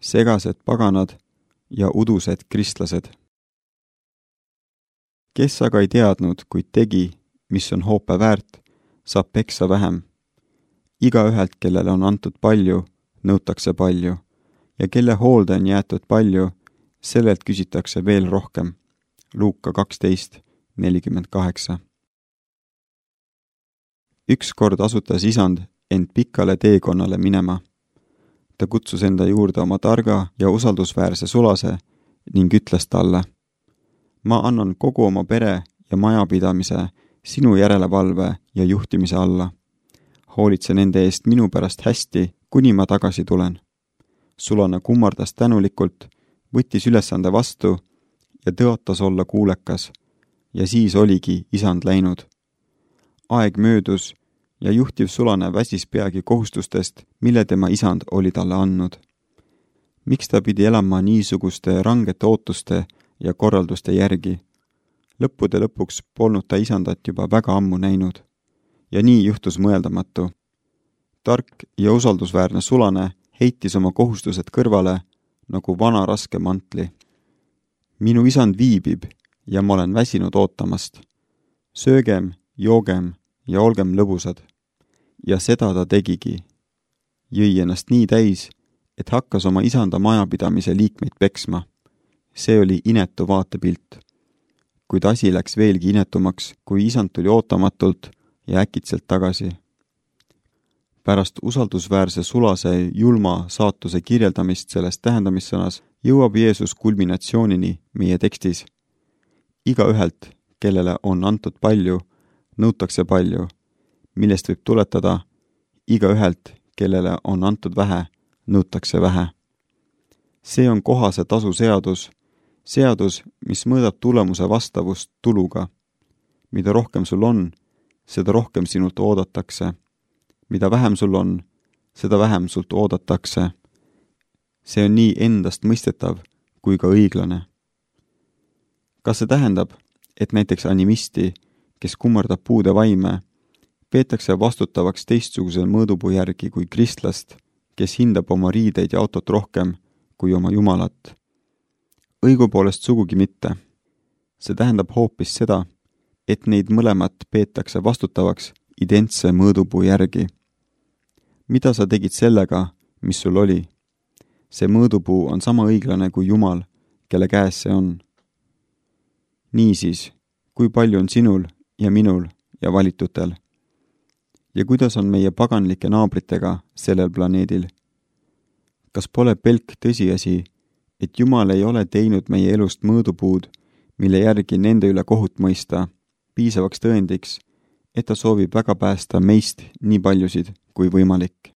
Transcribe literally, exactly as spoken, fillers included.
segased paganad ja udused kristlased. Kes aga ei teadnud, kuid tegi, mis on hoope väärt, saab peksa vähem. Igaühelt, kellele on antud palju, nõutakse palju, ja kelle hoolde on jäetud palju, sellelt küsitakse veel rohkem. Luuka kaksteist nelikümmend kaheksa. Ükskord asutas isand end pikale teekonnale minema. Ta kutsus enda juurde oma targa ja usaldusväärse sulase ning ütles talle: ma annan kogu oma pere ja majapidamise sinu järelevalve ja juhtimise alla. Hoolitse nende eest minu pärast hästi, kuni ma tagasi tulen. Sulane kummardas tänulikult, võttis ülesande vastu ja tõotas olla kuulekas, ja siis oligi isand läinud. Aeg möödus ja juhtiv sulane väsis peagi kohustustest, mille tema isand oli talle andnud. Miks ta pidi elama niisuguste rangete ootuste ja korralduste järgi? Lõppude lõpuks polnud ta isandat juba väga ammu näinud. Ja nii juhtus mõeldamatu. Tark ja usaldusväärne sulane heitis oma kohustused kõrvale nagu vana raske mantli. Minu isand viibib ja ma olen väsinud ootamast. Söögem, joogem ja olgem lõbusad. Ja seda ta tegigi. Jõi ennast nii täis, et hakkas oma isanda majapidamise liikmeid peksma. See oli inetu vaatepilt. Kuid asi läks veelgi inetumaks, kui isand tuli ootamatult ja äkitselt tagasi. Pärast usaldusväärse sulase julma saatuse kirjeldamist selles tähendamissõnas jõuab Jeesus kulminatsioonini meie tekstis. Igaühelt, kellele on antud palju, nõutakse palju, millest võib tuletada: igaühelt, kellele on antud vähe, nõutakse vähe. See on kohase tasu seadus, seadus, mis mõõdab tulemuse vastavust tuluga. Mida rohkem sul on, seda rohkem sinult oodatakse. Mida vähem sul on, seda vähem sult oodatakse. See on nii endast mõistetav kui ka õiglane. Kas see tähendab, et näiteks animisti, kes kummardab puude vaime, peetakse vastutavaks teistsugusel mõõdupuu järgi kui kristlast, kes hindab oma riideid ja autot rohkem kui oma jumalat? Õigupoolest sugugi mitte. See tähendab hoopis seda, et neid mõlemat peetakse vastutavaks identse mõõdupuu järgi. Mida sa tegid sellega, mis sul oli? See mõõdupuu on sama õiglane kui Jumal, kelle käes see on. Niisiis, kui palju on sinul ja minul ja valitutel? Ja kuidas on meie paganlike naabritega sellel planeedil? Kas pole pelk tõsiasi, et Jumal ei ole teinud meie elust mõõdupuud, mille järgi nende üle kohut mõista, piisavaks tõendiks, et ta soovib väga päästa meist nii paljusid kui võimalik?